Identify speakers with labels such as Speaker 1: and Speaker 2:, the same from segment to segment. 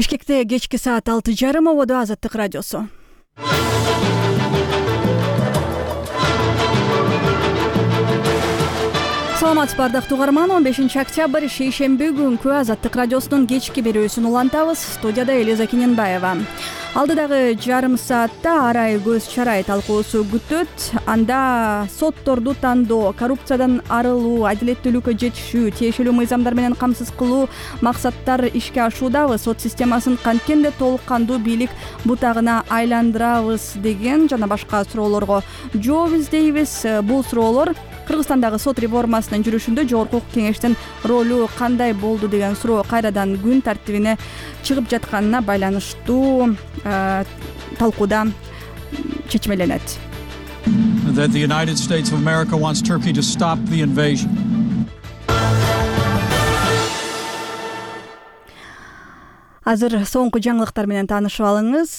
Speaker 1: Бишкекте кечки саат 6:30 ободо Азаттык радиосу. Саламатсызбы ардактуу угарман, 15 октябрь шейшемби күнкү Азаттык радиосунун кечки берүүсүн улантабыз. Студияда Элиза Кененбаева. Алдыдагы жарым саатта арай көз чарай талкуусу күтөт. Анда сотторду тандоо, коррупциядан арылуу, адилеттүүлүккө жетишүү, тиешелүү мыйзамдар менен камсыз кылуу максаттар ишке ашуудабы. Сот системасын канткенде толук кандуу бийлик бутагына айландырабыз деген жана башка суроолорго жооп издейбиз. Бул суроолор Кыргызстандагы сот реформасынын жүрүшүндө Жогорку укук кеңештин ролу кандай болду деген суроо кайрадан күн тартибине чыгып жатканына байланыштуу талкууда чечмеленет.
Speaker 2: That the United States of America wants Turkey to stop the invasion.
Speaker 1: Азыр соңку жаңылыктар менен таанышып алыңыз.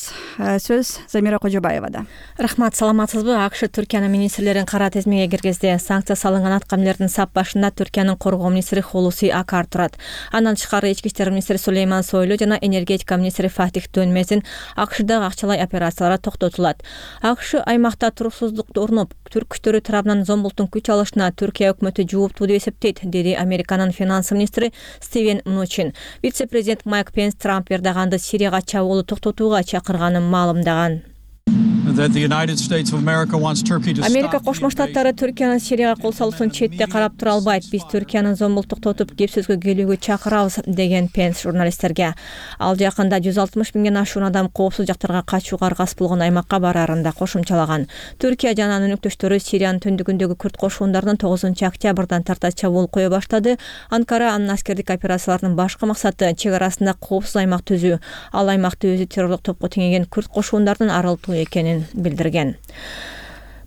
Speaker 1: Сөз Замира Кожобаевада.
Speaker 3: Рахмат, саламатсызбы? АКШ Түркиянын министрлерин кара тизмеге киргизди. Санкция салынган аткамилердин сап башында Түркиянын коргоо министри Хулуси Акар турат. Андан тышкары ички иштер министри Сулейман Сойлу жана энергетика министри Фатих Дөнмезин АКШдагы акчалай операциялар токтотулат. АКШ аймакта туруксуздукту орноп, түрк күчтөрү тарабынан Зомбулттун күч алышына Түркия өкмөтү жооптуу деп эсептейт, деди Американын финанс министри Стивен Мнучин. Вице-президент Майк Пенс Трамп Эрдоганды Сирияга чабуулду токтотууга чакырганын маалымдаган. Америка Кошмо Штаттары Түркиянын Сирияга кол салуусун четте карап тура албайт. Биз Түркиянын Зомбултту токтотуп кеп сөзгө келүүгө чакырабыз, деген Пенс журналисттерге. Ал жакында 160 миңден ашуун адам коопсуз жактарга качууга аргасыз болгон аймакка барарын да кошумчалаган. Түркия жана анын өнөктөштөрү Сириянын түндүгүндөгү күрд кошундарынын 9 октябрдан тарта чабуул кое баштады. Анкара анын аскердик операцияларынын башкы максаты чек арасында коопсуз аймак түзүү. Ал аймакты өзү террорлук топко теңеген күрд кошундарынын арылтуу экенин билдирген.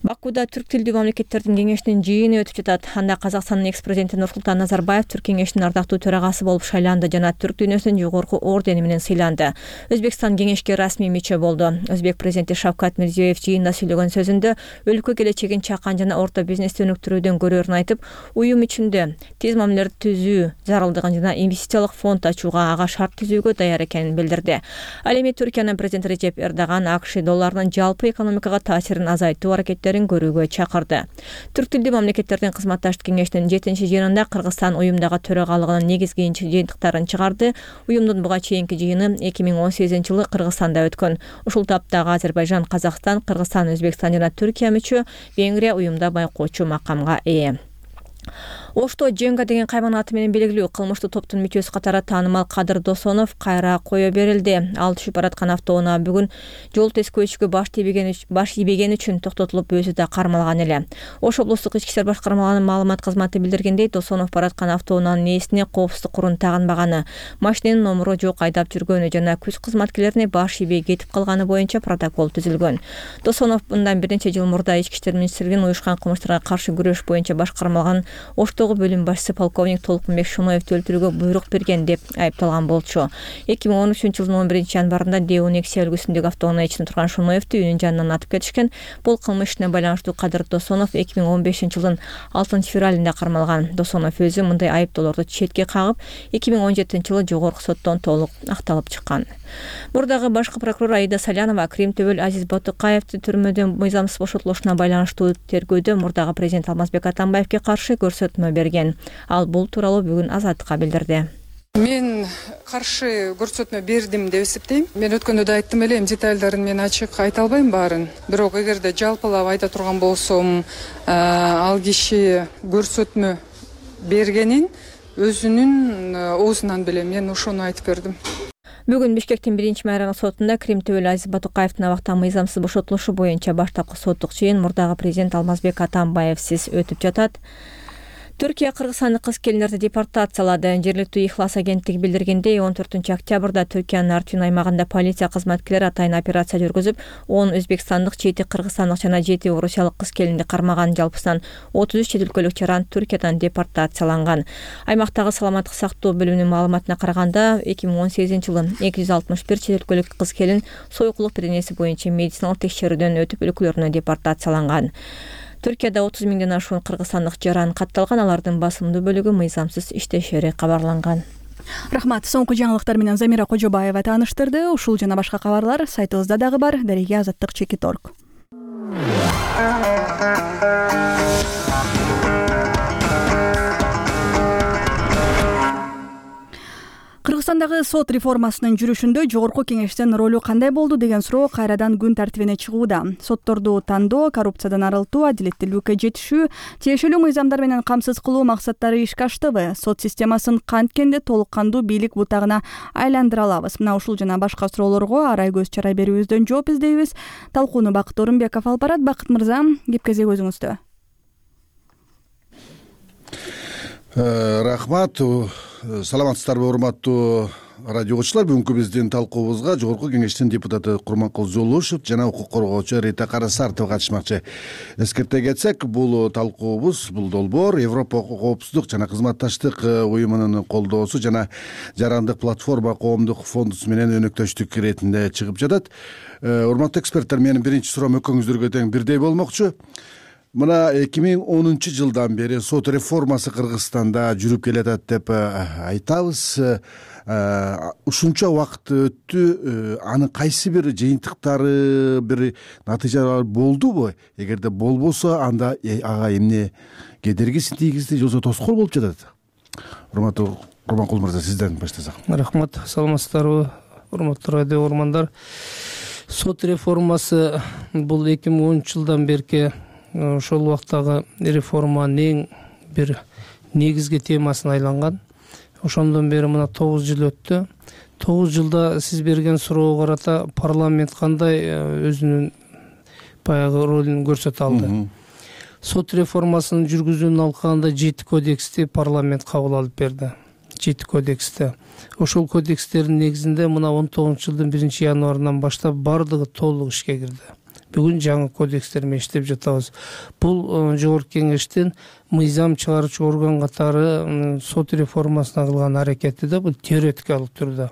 Speaker 3: Бакуда түрк тилдүү мамлекеттердин кеңешинин жыйыны өтүп жатат. Анда Казакстандын экс-президенти Нурсултан Назарбаев түрк кеңешинин ардактуу төрагасы болуп шайланды жана түрк дүйнөсүнүн жогорку ордени менен сыйланды. Өзбекстан кеңешке расмий мүчө болду. Өзбек президенти Шавкат Мирзиёев жыйында сүйлөгөн сөзүндө өлкө келечегин чакан жана орто бизнести өнүктүрүүдөн көрөрүн айтып, уюм ичинде тез мамилелерди түзүү зарылдыгын жана инвестициялык фонд ачууга ага шарт түзүүгө даяр экенин билдирди. Ал эми Түркиянын президенти Режеп Эрдоган АКШ долларынын жалпы экономикага таасирин азайтуу аракеттерин көрүүгө чакырды. Түрк тилдүү мамлекеттердин кызматташтык кеңешинин 7-жыйынында Кыргызстан уюмдагы төрагалыгынын негизги жыйынтыктарын чыгарды. Уюмдун буга чейинки жыйыны 2018-жылы Кыргызстанда өткөн. Ушул таптагы Азербайжан, Казакстан, Кыргызстан, Өзбекстан жана Түркия мүчө, Венгрия уюмда байкоочу макамга ээ. Ошто Женга деген кайман аты менен белгилүү кылмыштуу топтун мүчөсү катары таанымал Кадыр Досонов кайра кое берилди. Ал түшүп бараткан автоунаа бүгүн жол тескөөчүгө баш ийбегени үчүн токтотулуп, өзү да кармалган эле. Ош облустук ички иштер башкармалыгынын маалымат кызматы билдиргендей, Досонов бараткан автоунаанын ээсине коопсуздук курун тагынбаганы, машиненин номуру жок айдап жүргөнү жана күч кызматкерлерине баш ийбей кетип калганы боюнча протокол түзүлгөн. Досонов мындан бир нече жыл мурда ички иштер министрлигинин уюшкан кылмыштарга каршы күрөш боюнча башкармалган Оштогу бөлүм башчысы полковник Толкунбек Шоноевди өлтүрүүгө буйрук берген деп айыпталган болчу. 2013-жылдын 11-январында Деонексия өлкөсүндөгү автоунаа ичинде турган Шоноевди үйүнүн жанынан атып кетишкен. Бул кылмыш ишине байланыштуу Кадыр Досонов 2015-жылдын 6-февралында кармалган. Досонов өзү мындай айыптоолорду четке кагып, 2017-жылы жогорку соттон толук акталып чыккан. Мурдагы башкы прокурор Аида Салянова Крим Төбөл Азиз Батукаевди түрмөдөн мыйзамсыз бошотулушуна байланыштуу тергөөдө мурдагы президент Алмазбек Атамбаевге каршы көрсөтмө берген. Ал бул тууралуу бүгүн Азаттыкка билдирди.
Speaker 4: Мен каршы көрсөтмө бердим деп эсептейм. Мен өткөндө да айттым эле, детальдарын мен ачык айта албайм баарын. Бирок эгерде жалпылап айта турган болсом, ал киши көрсөтмө бергенин өзүнүн оозунан билем. Мен ошону айтып бердим.
Speaker 3: Бүгүн Бишкектин 1-майраңы сотунда Крим Төбөл Азиз Батукаевдин абактан мыйзамсыз бошотулушу боюнча баштапкы соттук чыйын мурдагы президент Алмазбек Атамбаевсиз өтүп жатат. Түркия Кыргызстандык кыз-келиндерди депортациялады. Жергиликтүү Ихлас агенттиги билдиргендей, 14 октябрда Түркиянын Артвин аймагында полиция кызматкерлери атайын операция жүргүзүп, 10 өзбекстандык, 7 кыргызстандык жана 7 орусиялык кыз-келинди кармаган. Жалпысынан 33 чет өлкөлүк жаран Түркиядан депортацияланган. Аймактагы саламаттык сактоо бөлүмүнүн маалыматына караганда, 2018-жылы 261 чет өлкөлүк кыз-келин сойкулук беренеси боюнча медициналык текшерүүдөн өтүп өлкөлөрүнө депортацияланган. Түркияда 30 миңден ашуун кыргызстандык жаран катталган, алардын басымдуу бөлүгү мыйзамсыз иштешери кабарланган.
Speaker 1: Рахмат. Соңку жаңылыктар менен Замира Кожобаева тааныштырды. Ушул жана башка кабарлар сайтыбызда дагы бар. Дареге Азаттык.org. Кыргызстандагы сот реформасынын жүрүшүндө жогорку кеңештин ролу кандай болду деген суроо кайрадан күн тартибине чыгууда. Сотторду тандоо, коррупциядан арылтуу, адилеттүүлүккө жетишүү, тиешелүү мыйзамдар менен камсыз кылуу максаттары ишке аштыбы? Сот системасын канткенде толук кандуу бийлик бутагына айландыра алабыз? Мына ушул жана башка суроолорго арай көз чарай берүүбүздөн жооп издейбиз. Талкууну Бакыт Орунбеков алып барат. Бакыт мырза, кеп кезек өзүңүздө.
Speaker 5: Рахмат. Саламатсыздарбы, урматтуу радио окуучулар. Бүгүнкү биздин талкуубузга жогорку кеңештин депутаты Курманкул Зулушев жана укук коргоочу Рита Карасартова катышмакчы. Эскерте кетсек, бул талкуубуз, бул долбоор Европа коопсуздук жана кызматташтык уюмунун колдоосу жана жарандык платформа коомдук фондусу менен өнөктөштүк иретинде чыгып жатат. Урматтуу эксперттер, менин биринчи суроом экөөңүздөргө тең бирдей болмокчу. Мына 2010 жылдан бери сот реформасы Кыргызстанда жүрүп келатат деп айтабыз. Ушунча убакыт өттү. Анын кайсы бир жыйынтыктары, бир натыйжалары болдубу? Эгерде болбосо, анда ага эмне кедергисин тийгизди, жолсо тоскоол болуп жатат? Урматтуу Курманкул мырза, сизден баштасак.
Speaker 6: Рахмат. Саламатсыздарбы, урматтуу радио угармандар. Сот реформасы бул 2010 жылдан берки ошол убактагы реформанын эң бир негизги темасына айланган. Ошондон бери мына 9 жыл өттү. 9 жылда сиз берген суроого карата парламент кандай өзүнүн баягы ролун көрсөтө алды? Сот реформасынын жүргүзүүнүн алкагында 7 кодексти парламент кабыл алып берди. 7 кодексти. Ошол кодекстердин негизинде мына 19 жылдын 1 январынан баштап бардыгы толук ишке кирди. Бүгүн жаңы кодекстер менен иштеп жатабыз. Бул жогорку кеңештин мыйзам чыгаруучу орган катары сот реформасына кылган аракети да бул теоретикалык түрдө.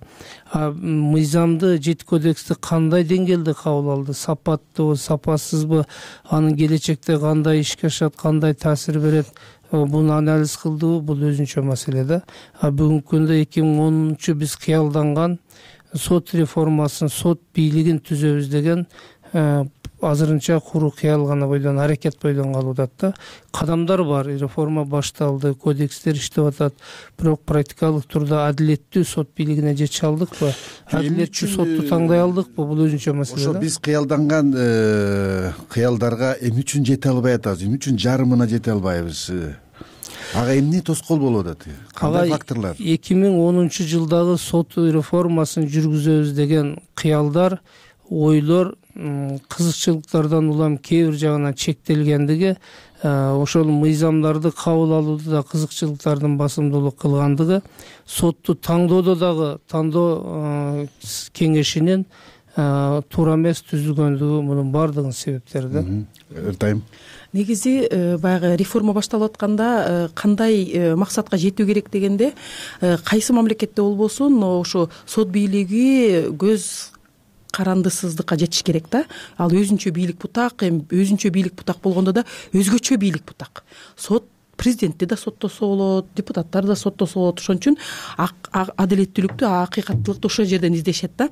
Speaker 6: Мыйзамды 7 кодексти кандай деңгээлде кабыл алды? Сапаттыбы, сапасызбы? Анын келечекте кандай ишке ашат, кандай таасир берет? Буну анализ кылдыбы? Бул өзүнчө маселе да. Бүгүнкү күндө 2010 биз кыялданган сот реформасын, сот бийлигин түзөбүз деген азырынча куру кыял гана бойдон, аракет бойдон калып атат да. Кадамдар бар, реформа башталды, кодекстер иштеп атат. Бирок практикалык турда адилеттүү сот бийлигине жете алдыкпы? Адилеттүү сотту таңдай алдыкпы? Бул өзүнчө маселе.
Speaker 5: Ошо биз кыялданган кыялдарга эмне үчүн жете албай атабыз? Эмне үчүн жарымына жете албайбыз? Ага эмне тоскоол болуп атат? Кандай факторлор?
Speaker 6: 2010 жылдагы сот реформасын жүргүзөбүз деген кыялдар, ойлор кызыкчылыктардан улам кээ бир жагынан чектелгендиги, ошол мыйзамдарды кабыл алууда да кызыкчылыктардын басымдуулук кылгандыгы, сотту таңдоодо дагы тандоо кеңешинин туура эмес түзүлгөндүгү мунун баардыгынын себептери да.
Speaker 5: Эртайм.
Speaker 7: Негизи баягы реформа башталып атканда кандай максатка жетүү керек дегенде, кайсы мамлекетте болбосун ошо сот бийлиги көз карандысыздыкка жетиш керек да. Ал өзүнчө бийлик бутак, өзүнчө бийлик бутак болгондо да өзгөчө бийлик бутак. Сот президентти да соттосо болот, депутаттар да соттосо болот. Ошон үчүн адилеттүүлүктү, акыйкаттуулукту ошол жерден издешет да.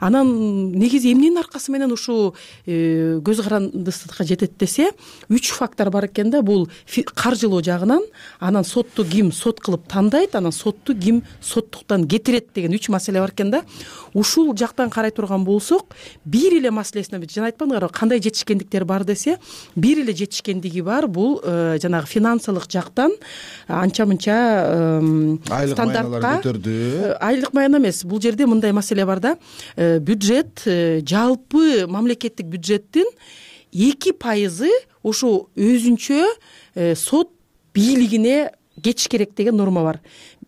Speaker 7: Анан негизи эмненин аркасы менен ушул көз карандысыздыкка жетет десе, 3 фактор бар экен да. Бул каржылоо жагынан, анан сотту ким сот кылып тандайт, анан сотту ким соттуктан кетирет деген 3 маселе бар экен да. Ушул жактан карай турган болсок, бир эле маселесине жана айтпадыңарбы, кандай жетишкендиктер бар десе, бир эле жетишкендиги бар. Бул жанагы финансылык жактан анча-мынча стандартка көтөрдү. Айлык майна эмес. Бул жерде мындай маселе бар да. Бюджет, жалпы мамлекеттик бюджеттин 2% ошо өзүнчө сот бийлигине кетиш керек деген норма бар.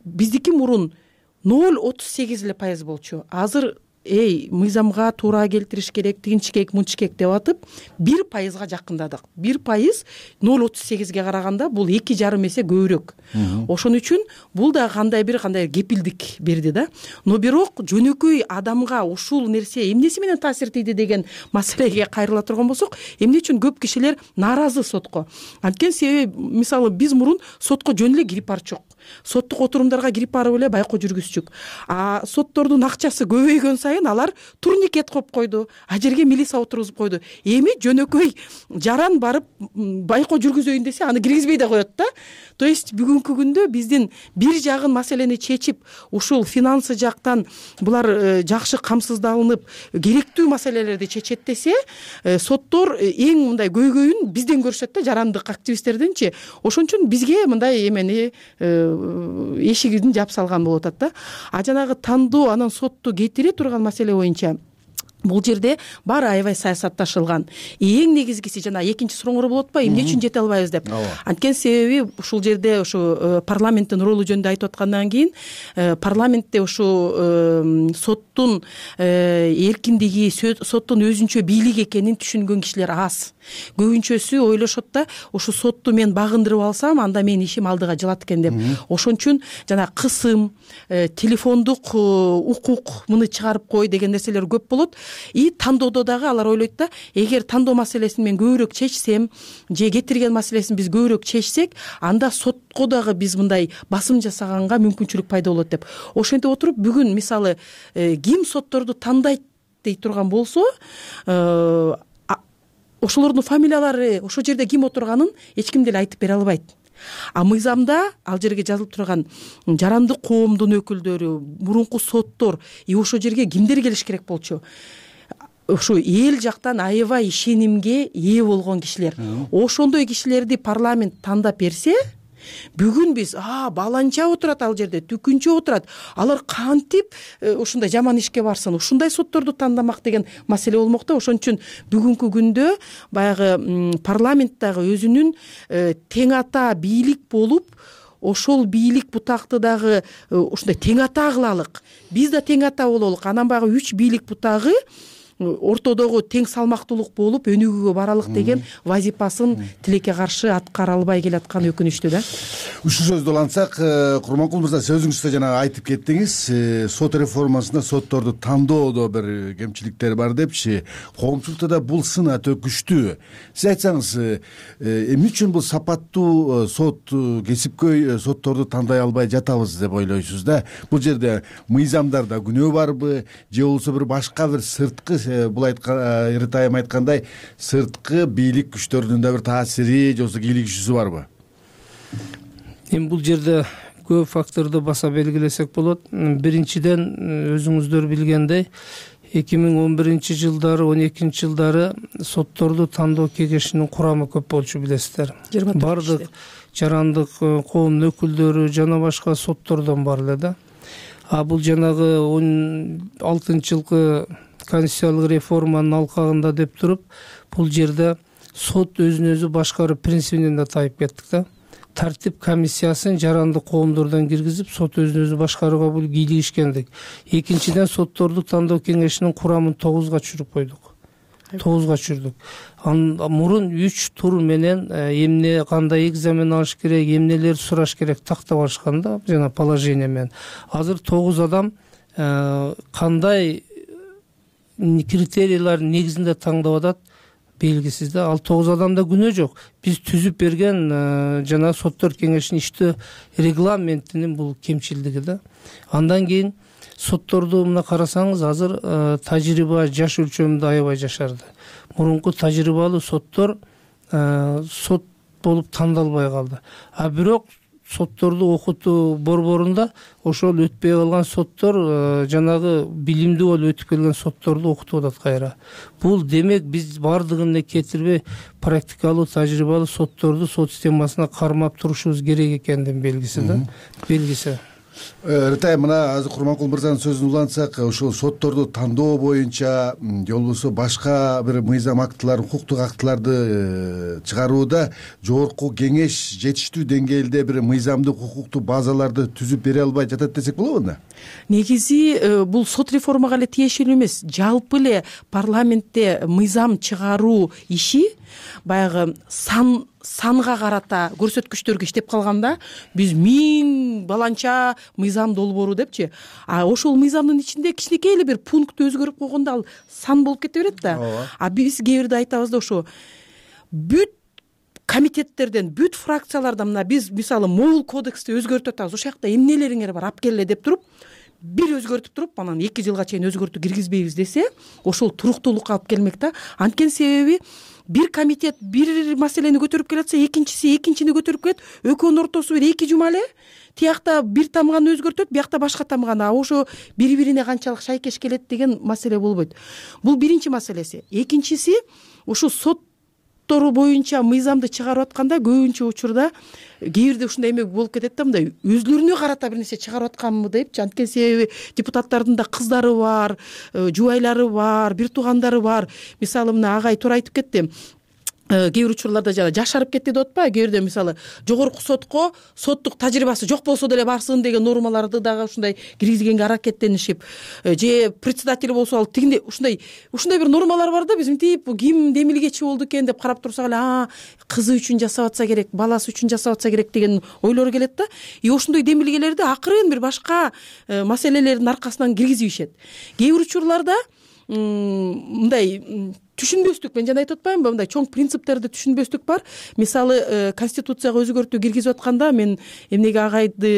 Speaker 7: Биздики мурун 0,38% болчу. Азыр мыйзамга туура келтириш керек, тигинчикек мынчыкек деп атып 1%га жакындадык. 1% 0,38ге караганда бул 2,5 эсе көбүрөөк. Ошон үчүн бул да кандай кепилдик берди да. Но бирок жөнөкөй адамга ушул нерсе эмнеси менен таасир этти деген маселеге кайрыла турган болсок, эмне үчүн көп кишилер нааразы сотко? Анткени себеби мисалы биз мурун сотко жөн эле кирип барчок. Соттук отурумдарга кирип барып эле байкоо жүргүзчүк. Соттордун акчасы көбөйгөн сайын алар турникет коюп койду, а жерге милиция отургузуп койду. Эми жөнөкөй жаран барып байкоо жүргүзөйүн десе, аны киргизбей да коет да. То есть бүгүнкү күндө биздин бир жагын маселени чечип, ушул финансы жактан булар жакшы камсыздалынып, керектүү маселелерди чечет десе, соттор эң мындай көйгөйүн бизден көрүшөт да, жарандык активисттерденчи. Ошон үчүн бизге мындай эмени эшигин жаап салган болуп атат да. А жанагы тандоо анан сотту кетире турган маселе боюнча бул жерде баары аябай саясатташылган. Эң негизгиси жана экинчи сурооңор болуп атпайбы, эмне үчүн жете албайбыз деп. Анткени себеби ушул жерде ушу парламенттин ролу жөнүндө айтып аткандан кийин парламентте ушу соттун эркиндиги, соттун өзүнчө бийлик экенин түшүнгөн кишилер аз. Көбүнчөсү ойлошот да, ушу сотту мен багындырып алсам, анда менин ишим алдыга жылат экен деп. Ошон үчүн жана кысым, телефондук укук муну чыгарып кой деген нерселер көп болот. И тандоодо дагы алар ойлойт да, эгер тандоо маселесин мен көбүрөөк чечсем, же кетирген маселесин биз көбүрөөк чечсек, анда сотко дагы биз мындай басым жасаганга мүмкүнчүлүк пайда болот деп. Ошентип отуруп бүгүн мисалы ким сотторду тандайт дей турган болсо, ошолордун фамилиялары, ошол жерде ким отурганын эч ким деле айтып бере албайт. А мыйзамда ал жерге жазылып турган жарандык коомдун өкүлдөрү, мурунку соттор, ошол жерге кимдер келиш керек болчу? Ошо эл жактан аябай ишенимге ээ болгон кишилер. Ошондой кишилерди парламент тандап берсе, бүгүн биз баланча отурат ал жерде, түкүнчө отурат. Алар кантип ушундай жаман ишке барсын, ушундай сотторду тандамак деген маселе болмок да. Ошон үчүн бүгүнкү күндө баягы парламенттагы өзүнүн тең ата бийлик болуп, ошол бийлик бутакты дагы ушундай тең ата кылалык. Биз да тең ата бололук. Анан баягы 3 бийлик бутагы ортодогу тең салмактуулук болуп өнүгүүгө баралык деген вазипасын тилекке каршы аткара албай келаткан өкүнүчтүү да.
Speaker 5: Ушул сөздү улантсак, Курманкул мырза, сөзүңүз да жана айтып кеттиңиз, сот реформасында сотторду тандоодо бир кемчиликтер бар депчи, коомчулукта да бул сын өтө күчтүү. Сиз айтсаңыз, эмне үчүн бул сапаттуу сот, кесипкөй сотторду тандай албай жатабыз деп ойлойсуз да? Бул жерде мыйзамдарда күнөө барбы, же болбосо бир башка бир сырткы, бул Эритайым айткандай, сырткы бийлик күчтөрүнүн да бир таасири, же болбосо кийлигишүүсү барбы?
Speaker 6: Эми бул жерде көп факторду баса белгилесек болот. Биринчиден, өзүңүздөр билгендей, 2011-жылдары, 12-жылдары сотторду тандоо кеңешинин курамы көп болчу, билесиздер. Бардык жарандык коомдун өкүлдөрү жана башка соттордон бар эле да. А бул жанагы 16-жылкы конституциялык реформанын алкагында деп туруп, бул жерде сот өзүн өзү башкаруу принцибинен да тайып кеттик да. Тартип комиссиясын жарандык коомдордон киргизип, сот өзүн өзү башкарууга бул кийлигишкендик. Экинчиден, сотторду тандоо кеңешинин курамын 9га түшүрүп койдук. 9га түшүрдүк. Мурун 3 тур менен эмне кандай экзамен алыш керек, эмнелер сураш керек тактап алышкан да, жана положение менен. Азыр 9 адам кандай критерийлер негизинде таңдап атат белгисиз да. Ал 9 адамда күнөө жок. Биз түзүп берген жана соттор кеңешинин иштөө регламентинин бул кемчилдиги да. Андан кийин сотторду мына карасаңыз, азыр тажрыйба жаш өлчөмүндө аябай жашарды. Мурунку тажрыйбалуу соттор сот болуп тандалбай калды. А бирок сотторду окутуу борборунда ошол өтпөй калган соттор жанагы билимдүү болуп өтүп келген сотторду окутуп атат кайра. Бул демек биз бардыгын эле кетирбей практикалуу, тажрыйбалуу сотторду сот системасына кармап турушубуз керек экендигин белгиси да. Белгиси.
Speaker 5: Эритайым, мына азыр Курманкул мырзанын сөзүн улантсак, ошол сотторду тандоо боюнча, же болбосо башка бир мыйзам актылар, укуктук актыларды чыгарууда жогорку кеңеш жетиштүү деңгээлде бир мыйзамдык укуктук базаларды түзүп бере албай жатат десек болобу да?
Speaker 7: негизи бул сот реформага эле тиешелүү эмес, жалпы эле парламентте мыйзам чыгаруу иши баягы санга карата көрсөткүчтөргө иштеп калганда биз 1000 баланча мыйзам долбоору депчи, а ошол мыйзамдын ичинде кичинекей эле бир пункт өзгөрүп койгондо ал сан болуп кете берет да. А биз кээ бирде айтабыз да, ошо бүт комитеттерден, бүт фракциялардан мына биз мисалы могул кодексти өзгөртүп атабыз, ошол жакта эмнелериңер бар алып келе деп туруп бир өзгөртүп туруп анан 2 жылга чейин өзгөртүү киргизбейбиз десе, ошол туруктуулукка алып келмек да. Анткени себеби бир комитет бир маселени көтөрүп келатса, экинчиси экинчини көтөрүп келет, экөөнүн ортосу бир 2 жума эле тиякта бир тамганы өзгөртөт, биякта башка тамганы, а ошо бири-бирине канчалык шайкеш келет деген маселе болбойт. Бул биринчи маселеси. Экинчиси, ушул соттор боюнча мыйзамды чыгарып атканда көбүнчө учурда кээ бирде ушундай эме болуп кетет да, мындай өзүлөрүнө карата бир нерсе чыгарып атканмы депчи. Анткени себеби депутаттардын да кыздары бар, жубайлары бар, бир туугандары бар. Мисалы мына агай туура айтып кетти. Кээ бир учурларда жашарып кетти деп атпайбы, кээ бирде мисалы жогорку сотко соттук тажрыйбасы жок болсо деле барсын деген нормаларды дагы ушундай киргизгенге аракеттенишип, же председатель болсо ал тигиндей ушундай бир нормалар бар да, биз мынтип ким демилгечи болду экен деп карап турсак эле кызы үчүн жасап атса керек, баласы үчүн жасап атса керек деген ойлор келет да. И ошондой демилгелерди акырын бир башка маселелердин аркасынан киргизишет. Кээ бир учурларда мындай түшүнбөстүк, мен жана айтып атпаймынбы, мындай чоң принциптерди түшүнбөстүк бар. Мисалы конституцияга өзгөртүү киргизип атканда мен эмнеге агайды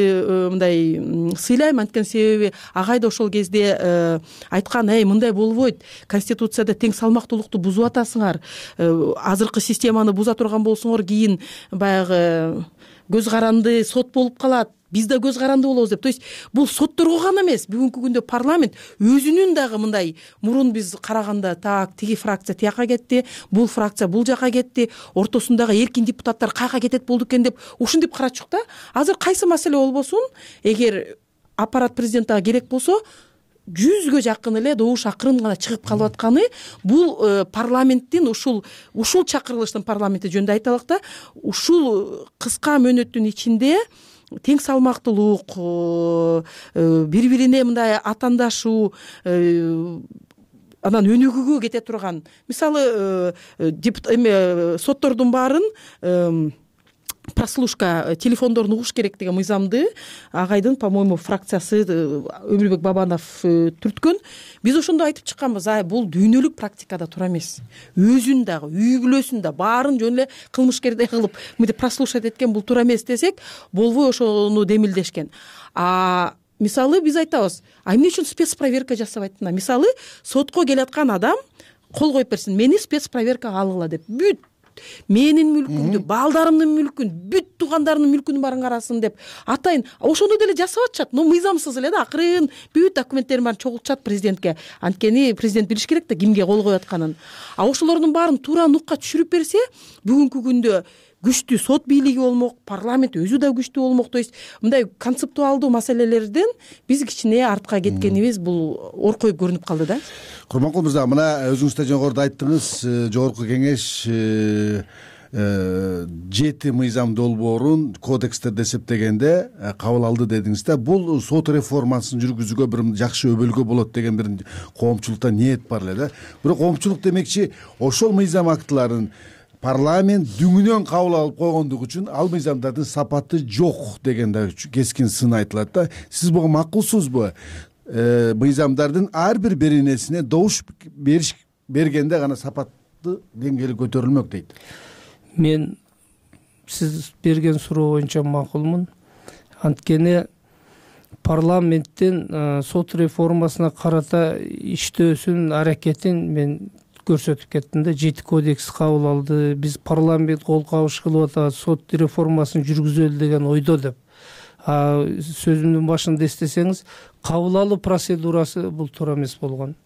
Speaker 7: мындай сыйлайм, анткени себеби агай да ошол кезде айткан, мындай болбойт, конституцияда тең салмактуулукту бузуп атасыңар, азыркы системаны буза турган болсоңор кийин баягы көз каранды сот болуп калат, биз да көз каранды болобуз деп. То есть бул сотторго гана эмес, бүгүнкү күндө парламент өзүнүн дагы мындай мурун биз караганда тиги фракция тияка кетти, бул фракция бул жака кетти, ортосундагы эркин депутаттар каяка кетет болду экен деп ушинтип карачук да. Азыр кайсы маселе болбосун, эгер аппарат президентке керек болсо 100гө жакын эле добуш акырын гана чыгып калып атканы бул парламенттин ушул чакырылыштын парламенти жөнүндө айталык да, ушул кыска мөөнөттүн ичинде тең салмактуулук, бири-бирине мындай атандашуу, анан өнүгүүгө кете турган, мисалы соттордун баарын прослушка телефондорун угуш керек деген мыйзамды агайдын, по-моему, фракциясы Өмүрбек Бабанов түрткөн. Биз ошондо айтып чыкканбыз, бул дүйнөлүк практикада туура эмес. Өзүн дагы, үй бүлөсүн да баарын жөн эле кылмышкердей кылып мынтип прослушать эткен бул туура эмес десек, болбой ошону демилдешкен. Мисалы биз айтабыз, эмне үчүн спецпроверка жасабайт? Мисалы сотко келаткан адам кол коюп берсин, мени спецпроверкага алгыла деп, бүт менин мүлкүмдү, балдарымдын мүлкүн, бүт туугандарымдын мүлкүн баарын карасын деп атайын. Ошону деле жасап атышат, но мыйзамсыз эле да, акырын бүт документтерин баарын чогултушат президентке. Анткени президент билиш керек да кимге кол коюп атканын. Ошолордун баарын туура нукка түшүрүп берсе, бүгүнкү күндө күчтүү сот бийлиги болмок, парламент өзү да күчтүү болмок. То есть мындай концептуалдуу маселелерден биз кичине артка кеткенибиз бул оркоюп көрүнүп калды да.
Speaker 5: Курманкул мырза, мына өзүңүз да жогоруда айттыңыз, жогорку кеңеш 7 мыйзам долбоорун кодекстерди эсептегенде кабыл алды дедиңиз да. Бул сот реформасын жүргүзүүгө бир жакшы өбөлгө болот деген бир коомчулукта ниет бар эле да. Бирок коомчулук демекчи ошол мыйзам актыларын парламент дүңүнөн кабыл алып койгондугу үчүн ал мыйзамдардын сапаты жок деген да кескин сын айтылат да. Сиз буга макулсузбу? Мыйзамдардын ар бир беренесине добуш бергенде гана сапаттуу деңгээли көтөрүлмөк дейт.
Speaker 6: Мен сиз берген суроо боюнча макулмун. Анткени парламенттин сот реформасына карата иштөөсүнүн аракетин мен көрсөтүп кеттим да. 7 кодекс кабыл алды, биз парламент кол кабыш кылып атабыз, сот реформасын жүргүзөлү деген ойдо деп. Сөзүмдүн башында эстесеңиз, кабыл алуу процедурасы бул туура эмес болгон.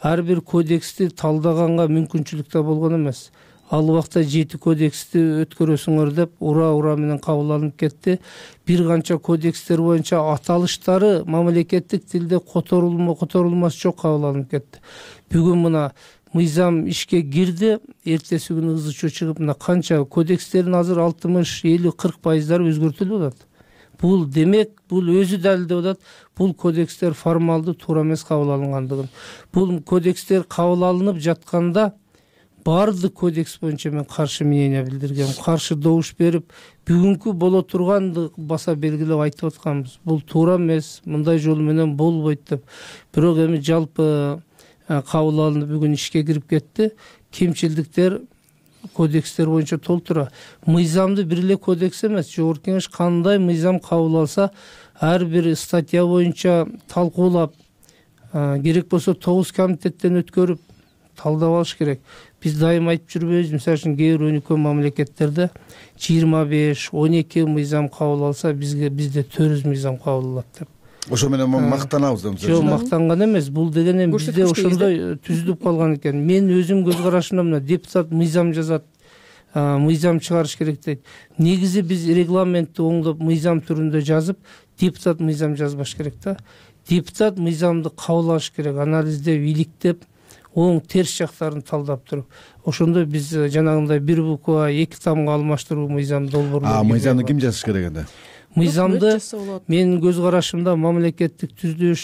Speaker 6: Ар бир кодексти талдаганга мүмкүнчүлүк да болгон эмес. Ал убакта 7 кодексти өткөрөсүңөр деп ура менен кабыл алынып кетти. Бир канча кодекстер боюнча аталыштары мамлекеттик тилде которулмас жок кабыл алынып кетти. Бүгүн мына мыйзам ишке кирди, эртеси күнү ызы чыгып, мына канча кодекстердин азыр 60, 50, 40% өзгөртүлүп атат. бул демек бул өзү далилдеп атат, бул кодекстер формалдуу туура эмес кабыл алынгандыгын. Бул кодекстер кабыл алынып жатканда баардык кодекс боюнча мен каршы мнение билдиргем, каршы добуш берип, бүгүнкү боло турганды баса белгилеп айтып атканбыз. Бул туура эмес, мындай жол менен болбойт деп. Бирок эми жалпы кабыл алынып бүгүн ишке кирип кетти. Кемчилдиктер кодекстер боюнча толтура. Мыйзамды бир эле кодекс эмес, жогорку кеңеш кандай мыйзам кабыл алса, ар бир статья боюнча талкуулап, керек болсо 9 комитеттен өткөрүп талдап алыш керек. Биз дайым айтып жүрбөйбүз, мисалы үчүн кээ бир өнүккөн мамлекеттерде 25-12 мыйзам кабыл алса, бизде 400 мыйзам кабыл алат деп.
Speaker 5: Ошо менен мактанабыз да.
Speaker 6: Жок, мактанган эмес. Бул деген эми бизде ошондой түзүлүп калган экен. Мен өзүм көз карашымда мына депутат мыйзам жазат, мыйзам чыгарыш керек дейт. Негизи биз регламентти оңдоп мыйзам түрүндө жазып, депутат мыйзам жазбаш керек да. Депутат мыйзамды кабыл алыш керек, анализдеп, иликтеп, оң терс жактарын талдап туруп. Ошондо биз жанагындай бир буква 2 тамга алмаштыруу мыйзамды долбоорлоо.
Speaker 5: Мыйзамды ким жазыш керек энди?
Speaker 6: Мыйзамды менин көз карашымда мамлекеттик түзүлүш,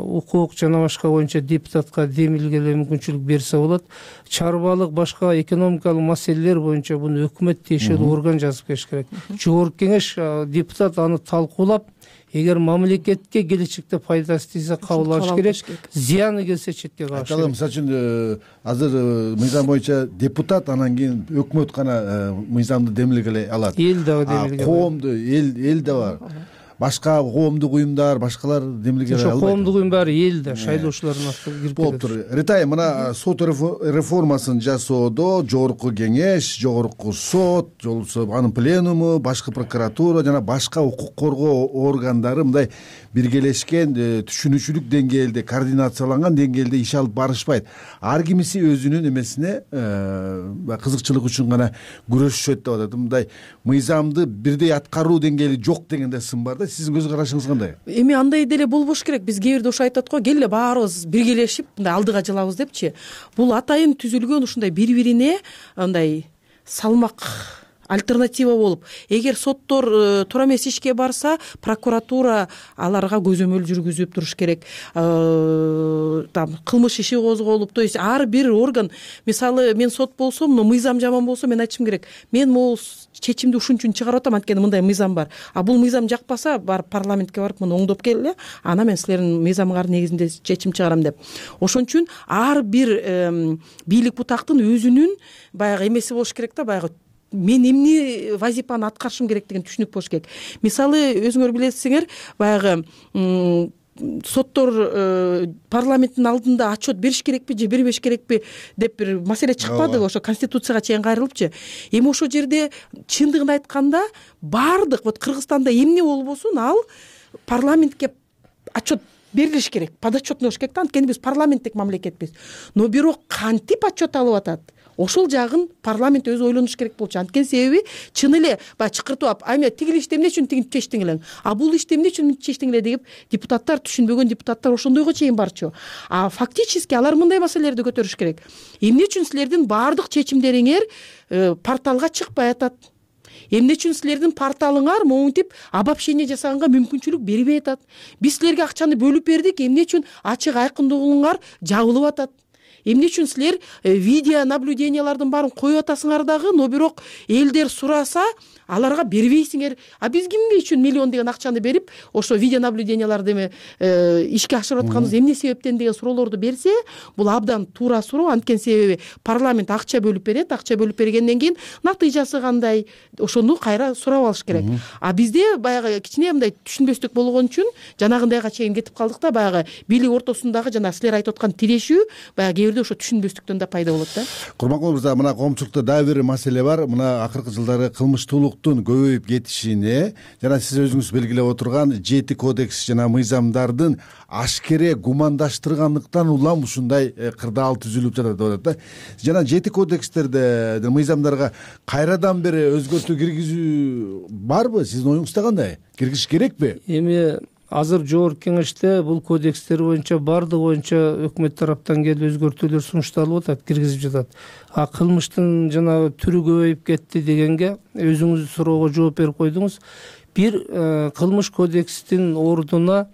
Speaker 6: укук жана башка боюнча депутатка демилгелөө мүмкүнчүлүк берсе болот. Чарбалык, башка экономикалык маселелер боюнча буну өкмөт тиешелүү орган жазып келиш керек. Жогорку кеңеш депутат аны талкуулап, эгер мамлекетке келечекте пайдасы тийсе кабыл алыш керек, зыяны келсе четке калыш керек.
Speaker 5: Мисалы үчүн азыр мыйзам боюнча депутат, анан кийин өкмөт гана мыйзамды демилгелей алат.
Speaker 6: Эл дагы демилгелей.
Speaker 5: Коомду, эл да бар. Башка коомдук уюмдар, башкалар демилгелей албайт.
Speaker 6: Коомдук уюм баары элде, шайлоочулардын астына кирип кетет.
Speaker 5: Болуптур. Ритай, мына сот реформасын жасоодо жогорку кеңеш, жогорку сот, жолсо анын пленуму, башкы прокуратура жана башка укук коргоо органдары мындай биргелешкен түшүнүүчүлүк деңгээлде, координацияланган деңгээлде иш алып барышпайт. Ар кимиси өзүнүн эмесине кызыкчылык үчүн гана күрөшүшөт деп атат. Мындай мыйзамды бирдей аткаруу деңгээли жок дегенде сын бар да. Сиздин көз карашыңыз кандай?
Speaker 7: Эми андай деле болбош керек. Биз кээ бирде ошо айтат го, келе баарыбыз биргелешип мындай алдыга жылабыз депчи. Бул атайын түзүлгөн ушундай бири-бирине андай салмак альтернатива болуп, эгер соттор туура эмес ишке барса, прокуратура аларга көзөмөл жүргүзүп туруш керек. Там кылмыш иши козголуп, то есть ар бир орган, мисалы мен сот болсом, но мыйзам жаман болсо, мен айтышым керек. Мен могул чечимди ушун үчүн чыгарып атам, анткени мындай мыйзам бар. А бул мыйзам жакпаса, барып парламентке барып муну оңдоп келе, анан мен силердин мыйзамыңар негизинде чечим чыгарам деп. Ошон үчүн ар бир бийлик бутактын өзүнүн баягы эмеси болуш керек да, баягы мен эмне вазифаны аткарышым керек деген түшүнүк болуш керек. Мисалы өзүңөр билесиңер, баягы соттор парламенттин алдында отчет бериш керекпи же бербеш керекпи деп бир маселе чыкпадыбы, ошо конституцияга чейин кайрылыпчы. Эми ошол жерде чындыгын айтканда баардык вот Кыргызстанда эмне болбосун ал парламентке отчет берилиш керек, подотчетный болуш керек да, анткени биз парламенттик мамлекетпиз. Но бирок кантип отчет алып атат, ошол жагын парламент өзү ойлонуш керек болчу. Анткени себеби чын эле баягы чакыртып алып, ай тигил ишти эмне үчүн тигинтип чечтиң элең, а бул ишти эмне үчүн чечтиң эле деп депутаттар, түшүнбөгөн депутаттар ошондойго чейин барчу. А фактически алар мындай маселелерди көтөрүш керек. Эмне үчүн силердин баардык чечимдериңер порталга чыкпай атат? Эмне үчүн силердин порталыңар монтип обобщение жасаганга мүмкүнчүлүк бербей атат? Биз силерге акчаны бөлүп бердик, эмне үчүн ачык айкындуулуңар жабылып атат? Эмне үчүн силер видео наблюдениялардын баарын коюп атасыңар дагы, но бирок элдер сураса аларга бербейсиңер. А биз кимге үчүн миллион деген акчаны берип, ошо видео наблюденияларды эме ишке ашырып атканыбыз эмне себептен деген суроолорду берсе, бул абдан туура суроо. Анткени себеби парламент акча бөлүп берет, акча бөлүп бергенден кийин натыйжасы кандай, ошону кайра сурап алыш керек. А бизде баягы кичине мындай түшүнбөстүк болгон үчүн жанагындайга чейин кетип калдык да, баягы бийлик ортосундагы жана силер айтып аткан тирешүү баягы ошо түшүнбөстүктөн да пайда болот да.
Speaker 5: Курманкул мырза, мына коомчулукта дагы бир маселе бар. Мына акыркы жылдары кылмыштуулуктун көбөйүп кетишине жана сиз өзүңүз белгилеп отурган 7 кодекс жана мыйзамдардын ашкере гумандаштыргандыктан улам ушундай кырдаал түзүлүп жатат деп атат да. Жана 7 кодекстерде, мыйзамдарга кайрадан бир өзгөртүү киргизүү барбы? Сиздин оюңузда кандай? Киргизиш керекпи?
Speaker 6: Эми азыр жогорку кеңеште бул кодекстер боюнча баардыгы боюнча өкмөт тараптан келип өзгөртүүлөр сунушталып атат, киргизип жатат. А кылмыштын жанагы түрү көбөйүп кетти дегенге өзүңүз суроого жооп берип койдуңуз. бир кылмыш кодекстин ордуна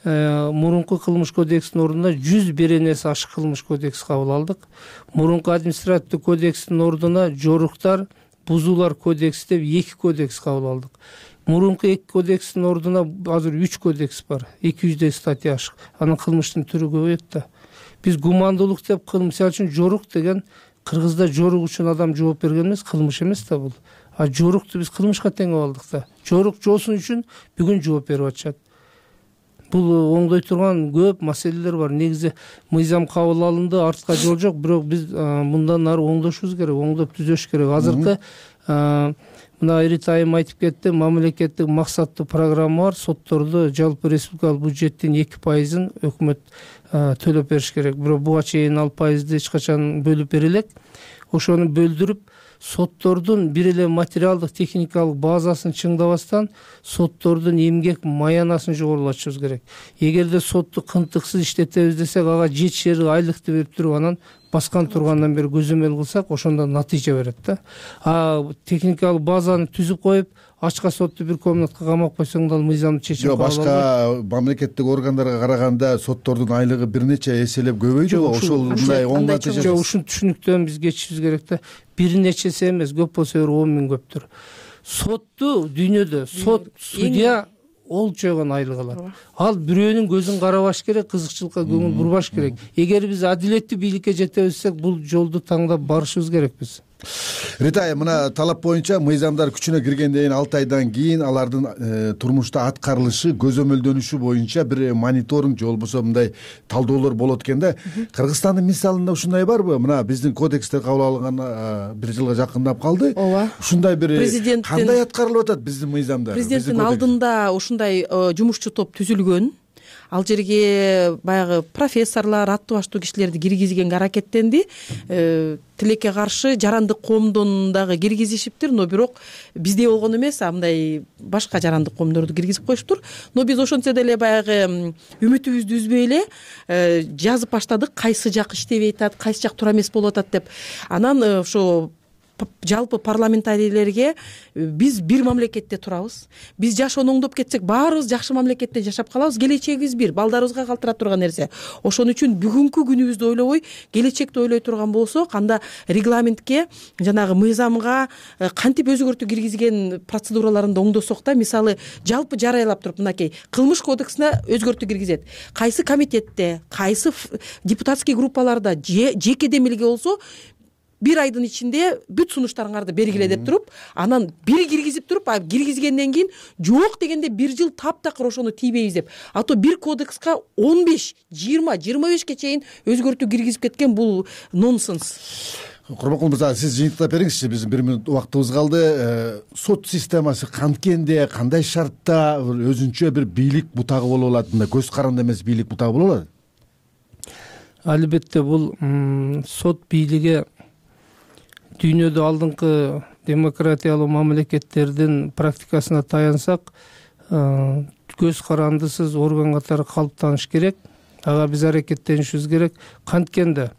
Speaker 6: мурунку кылмыш кодекстин ордуна 100 беренеси ашык кылмыш кодекс кабыл алдык. Мурунку административдик кодекстин ордуна жоруктар, бузуулар кодекси деп 2 кодекс кабыл алдык. Мурунку 2 кодекстин ордуна азыр 3 кодекс бар, 200 статья ашык. Анын кылмыштын түрү көбөйөт да. Биз гумандуулук деп мисалы үчүн жорук деген Кыргызда жорук үчүн адам жооп берген эмес, кылмыш эмес да бул. А жорукту биз кылмышка теңеп алдык да. Жорук жоосун үчүн бүгүн жооп берип атышат. Бул оңдой турган көп маселелер бар. Негизи мыйзам кабыл алынды, артка жол жок, бирок биз мындан ары оңдошубуз керек, оңдоп түзөш керек. Азыркы мына Рита айым айтып кетти, мамлекеттик максаттуу программа бар. Сотторду жалпы республикалык бюджеттин 2%-ын өкмөт төлөп бериш керек. Бирок буга чейин ал пайызды эч качан бөлүп бере элек. Ошону бөлдүрүп, соттордун бир эле материалдык техникалык базасын чыңдабастан соттордун эмгек маянасын жогорулатышыбыз керек. Эгерде сотту кынтыксыз иштетебиз десек, ага жетишери айлыкты берип туруп анан баскан тургандан бери көзөмөл кылсак, ошондо натыйжа берет да. Техникалык базаны түзүп коюп, ачка сотту бир комнатка камап койсоң да ал мыйзамдуу чечим кабыл албайт.
Speaker 5: Башка мамлекеттик органдарга караганда соттордун айлыгы бир нече эселеп көбөйдү. Ошол мындай оң натыйжа.
Speaker 6: Жок, ушул түшүнүктөн биз кечишибиз керек да. Бир нечеси эмес, көп болсо 10 миң көптүр. Сотту дүйнөдө сот, судья ол жогон айлык алат. Ал бирөөнүн көзүн карабаш керек, кызыкчылыкка көңүл бурбаш керек. Эгер биз адилеттүү бийликке жетебиз десек, бул жолду таңдап барышыбыз керекпиз.
Speaker 5: Рита айым, мына талап боюнча мыйзамдар күчүнө киргенден кийин 6 айдан кийин алардын турмушта аткарылышы, көзөмөлдөнүшү боюнча бир мониторинг же болбосо мындай талдоолор болот экен да. Кыргызстандын мисалында ушундай барбы? Мына биздин кодекстер кабыл алынган 1 жылга жакындап калды.
Speaker 7: Ооба.
Speaker 5: Ушундай бир кандай аткарылып атат биздин мыйзамдар?
Speaker 7: Президенттин алдында ушундай жумушчу топ түзүлгөн. Ал жерге баягы профессорлор, аттуу баштуу кишилерди киргизгенге аракеттенди. Тилекке каршы жарандык коомдон дагы киргизишиптир, но бирок бизде болгон эмес, мындай башка жарандык коомдорду киргизип коюштур. Но биз ошентсе деле баягы үмүтүбүздү үзбөй эле жазып баштадык, кайсы жак иштебей атат, кайсы жак туура эмес болуп атат деп. Анан ошо жалпы парламентарийлерге биз бир мамлекетте турабыз. Биз жашоону оңдоп кетсек, баарыбыз жакшы мамлекетте жашап калабыз. Келечегибиз бир, балдарыбызга калтыра турган нерсе. Ошон үчүн бүгүнкү күнүбүздү ойлобой, келечекти ойлой турган болсок, анда регламентке, жанагы мыйзамга кантип өзгөртүү киргизген процедураларында оңдосок да, мисалы, жалпы жарыялап туруп, мынакей кылмыш кодексине өзгөртүү киргизет. Кайсы комитетте, кайсы депутатский группаларда жеке демилге болсо, 1 айдын ичинде бүт сунуштарыңарды бергиле деп туруп, анан бир киргизип туруп, киргизгенден кийин жок дегенде 1 жыл таптакыр ошону тийбейбиз деп. Ато бир кодекска 15, 20, 25ке чейин өзгөртүү киргизип кеткен, бул нонсенс.
Speaker 5: Курманкул мырза, сиз жыйынтыктап бериңизчи, биздин 1 мүнөт убактыбыз калды. Сот системасы канткенде, кандай шартта өзүнчө бир бийлик бутагы боло алат? Мындай көз каранды эмес бийлик бутагы боло алат?
Speaker 6: Албетте бул сот бийлиги дүйнөдө алдыңкы демократиялуу мамлекеттердин практикасына таянсак, көз карандысыз орган катары калыптаныш керек. Ага биз аракеттенишибиз керек. Канткенде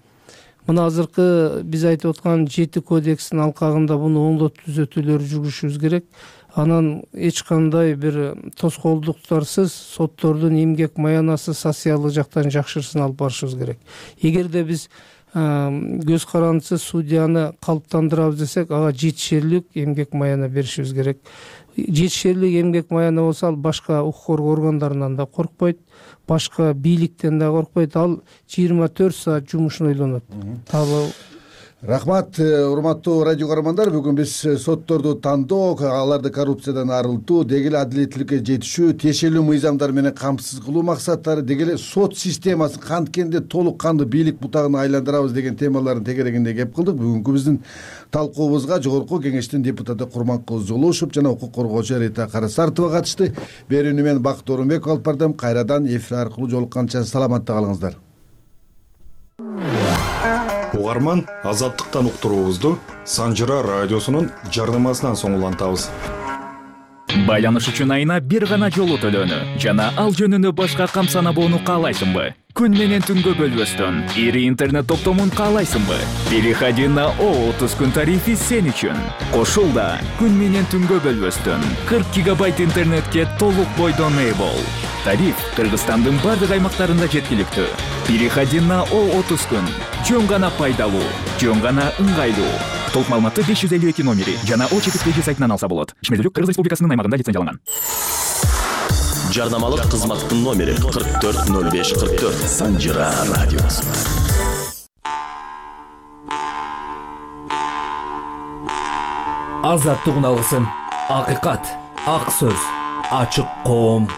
Speaker 6: мына азыркы биз айтып аткан 7 кодекстин алкагында буну оңдоп түзөтүүлөр жүргүзүшүбүз керек. Анан эч кандай бир тоскоолдуктарсыз соттордун эмгек маянасы социалдык жактан жакшырсын алып барышыбыз керек. Эгерде биз көз карандысыз судьяны калыптандырабыз десек, ага жетишерлик эмгек маяна беришибиз керек. Жетишерлик эмгек маяна болсо, ал башка укук коргоо органдарынан да коркпойт, башка бийликтен да коркпойт, ал 24 саат жумушун ойлонот.
Speaker 5: Рахмат, урматтуу радио көрөрмандар. Бүгүн биз сотторду тандоо, аларды коррупциядан арылтуу, деги эле адилеттүүлүккө жетишүү, тиешелүү мыйзамдар менен камсыз кылуу максаттары, деги эле сот системасын канткенде толук кандуу бийлик бутагына айландырабыз деген темалардын тегерегинде кеп кылдык. Бүгүнкү биздин талкуубузга Жогорку Кеңештин депутаты Курманкул Золушев жана укук коргоочу Рита Карасартова катышты. Берүүнү мен Бакыт Орунбеков алып бардым. Кайрадан эфир аркылуу жолукканча саламатта калыңыздар.
Speaker 8: Угарман, азаттыктан уктуруубузду Санжыра радиосунун жарнамасынан соң улантабыз.
Speaker 9: Байланыш үчүн айына бир гана жолу төлөнү жана ал жөнүндө башка камсанабоону каалайсыңбы? Күн менен түнгө бөлбөстөн ири интернет топтомун каалайсыңбы? Переходи на О30 күн тарифи сен үчүн. Кошул да күн менен түнгө бөлбөстөн 40 гигабайт интернетке толук бойдон ээ бол. Тариф Кыргызстандын бардык аймактарында жеткиликтүү. Переходи на О30 күн. Жөн гана пайдалуу, жөн гана ыңгайлуу. Толук маалыматты 552 номери жана О4 сайтынан алса болот. Ишмердүүлүк Кыргыз Республикасынын аймагында лицензияланган.
Speaker 10: Жарнамалык кызматтын номери 440544. Санжира радиосу.
Speaker 11: Азаттык алгысын, акыйкат, ак сөз, ачык коом.